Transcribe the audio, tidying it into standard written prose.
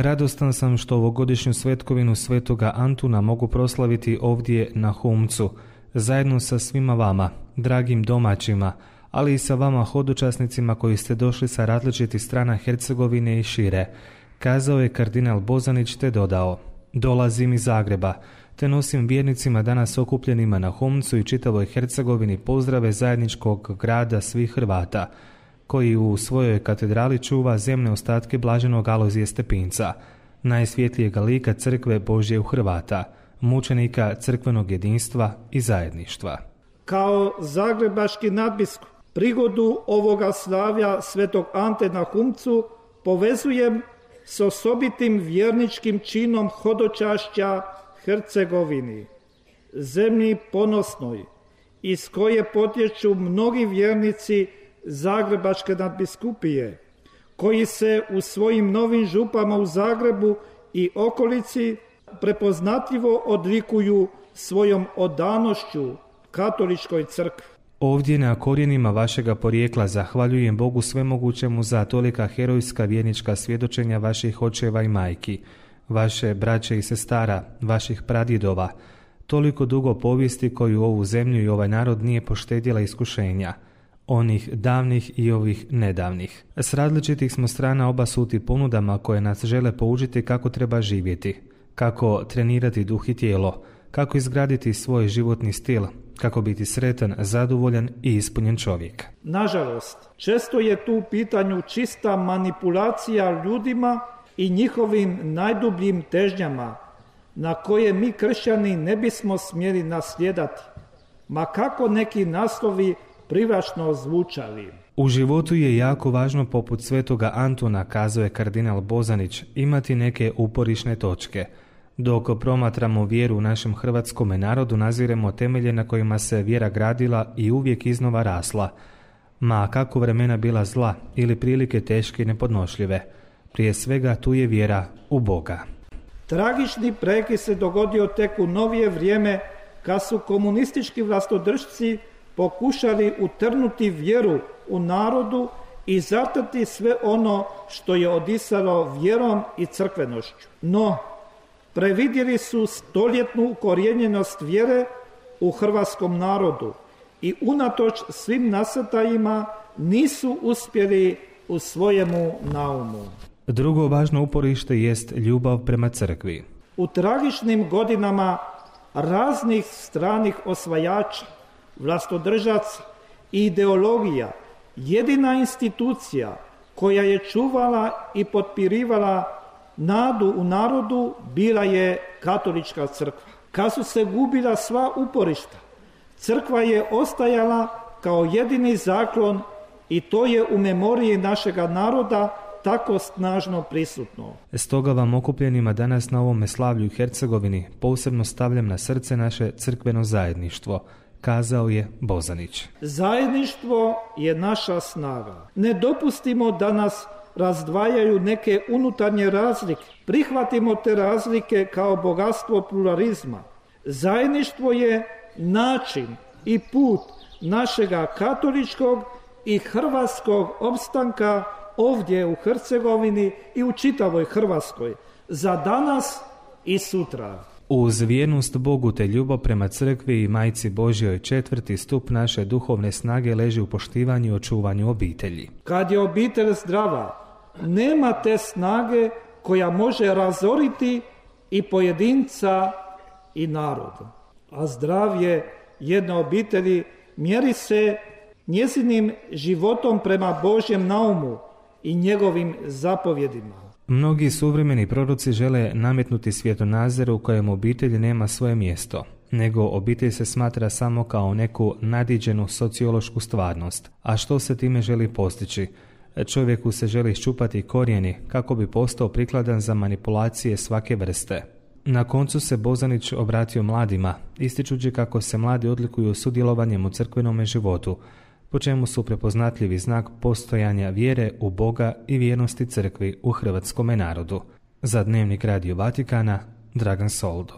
Radostan sam što ovogodišnju svetkovinu Svetoga Antuna mogu proslaviti ovdje na Humcu, zajedno sa svima vama, dragim domaćima, ali i sa vama hodočasnicima koji ste došli sa različitih strana Hercegovine i šire, kazao je kardinal Bozanić te dodao: dolazim iz Zagreba, te nosim vjernicima danas okupljenima na Humcu i čitavoj Hercegovini pozdrave zajedničkog grada svih Hrvata, koji u svojoj katedrali čuva zemne ostatke blaženog Alojzija Stepinca, najsvjetlijega lika crkve Božje u Hrvata, mučenika crkvenog jedinstva i zajedništva. Kao zagrebački nadbiskup prigodu ovoga slavlja Svetog Ante na Humcu povezujem s osobitim vjerničkim činom hodočašća Hercegovini, zemlji ponosnoj, iz koje potječu mnogi vjernici Zagrebačke nadbiskupije, koji se u svojim novim župama u Zagrebu i okolici prepoznatljivo odlikuju svojom odanošću katoličkoj crkvi. Ovdje na korijenima vašega porijekla zahvaljujem Bogu svemogućemu za tolika herojska vjernička svjedočenja vaših očeva i majki, vaše braće i sestara, vaših pradjedova, toliko dugo povijesti koju ovu zemlju i ovaj narod nije poštedjela iskušenja, onih davnih i ovih nedavnih. S različitih smo strana obasuti ponudama koje nas žele poučiti kako treba živjeti, kako trenirati duh i tijelo, kako izgraditi svoj životni stil, kako biti sretan, zadovoljan i ispunjen čovjek. Nažalost, često je tu u pitanju čista manipulacija ljudima i njihovim najdubljim težnjama, na koje mi kršćani ne bismo smjeli naslijedati, ma kako neki naslovi privlačno zvučali. U životu je jako važno, poput Svetoga Antuna, kazao je kardinal Bozanić, imati neke uporišne točke. Dok promatramo vjeru u našem hrvatskome narodu, naziremo temelje na kojima se vjera gradila i uvijek iznova rasla. Ma kako vremena bila zla ili prilike teške i nepodnošljive, prije svega tu je vjera u Boga. Tragični prekid se dogodio tek u novije vrijeme, kad su komunistički vlastodržci pokušali utrnuti vjeru u narodu i zatrti sve ono što je odisalo vjerom i crkvenošću. No, previdjeli su stoljetnu ukorijenjenost vjere u hrvatskom narodu i unatoč svim nasrtajima nisu uspjeli u svojemu naumu. Drugo važno uporište jest ljubav prema crkvi. U tragičnim godinama raznih stranih osvajača, vlastodržaca i ideologija, jedina institucija koja je čuvala i potpirivala nadu u narodu bila je katolička crkva. Kad su se gubila sva uporišta, crkva je ostajala kao jedini zaklon i to je u memoriji našega naroda tako snažno prisutno. Stoga vam okupljenima danas na ovome slavlju u Hercegovini posebno stavljam na srce naše crkveno zajedništvo, kazao je Bozanić. Zajedništvo je naša snaga. Ne dopustimo da nas razdvajaju neke unutarnje razlike. Prihvatimo te razlike kao bogatstvo pluralizma. Zajedništvo je način i put našega katoličkog i hrvatskog opstanka ovdje u Hercegovini i u čitavoj Hrvatskoj, za danas i sutra. Uz vjernost Bogu te ljubav prema crkvi i Majci Božjoj, četvrti stup naše duhovne snage leži u poštivanju i očuvanju obitelji. Kad je obitelj zdrava, nema te snage koja može razoriti i pojedinca i narod. A zdravlje jedne obitelji mjeri se njezinim životom prema Božjem naumu i njegovim zapovjedima. Mnogi suvremeni proroci žele nametnuti svjetonazor u kojem obitelj nema svoje mjesto, nego obitelj se smatra samo kao neku nadiđenu sociološku stvarnost. A što se time želi postići? Čovjeku se želi iščupati korijeni kako bi postao prikladan za manipulacije svake vrste. Na koncu se Bozanić obratio mladima, ističući kako se mladi odlikuju sudjelovanjem u crkvenome životu, po čemu su prepoznatljivi znak postojanja vjere u Boga i vjernosti crkvi u hrvatskome narodu. Za Dnevnik Radio Vatikana, Dragan Soldo.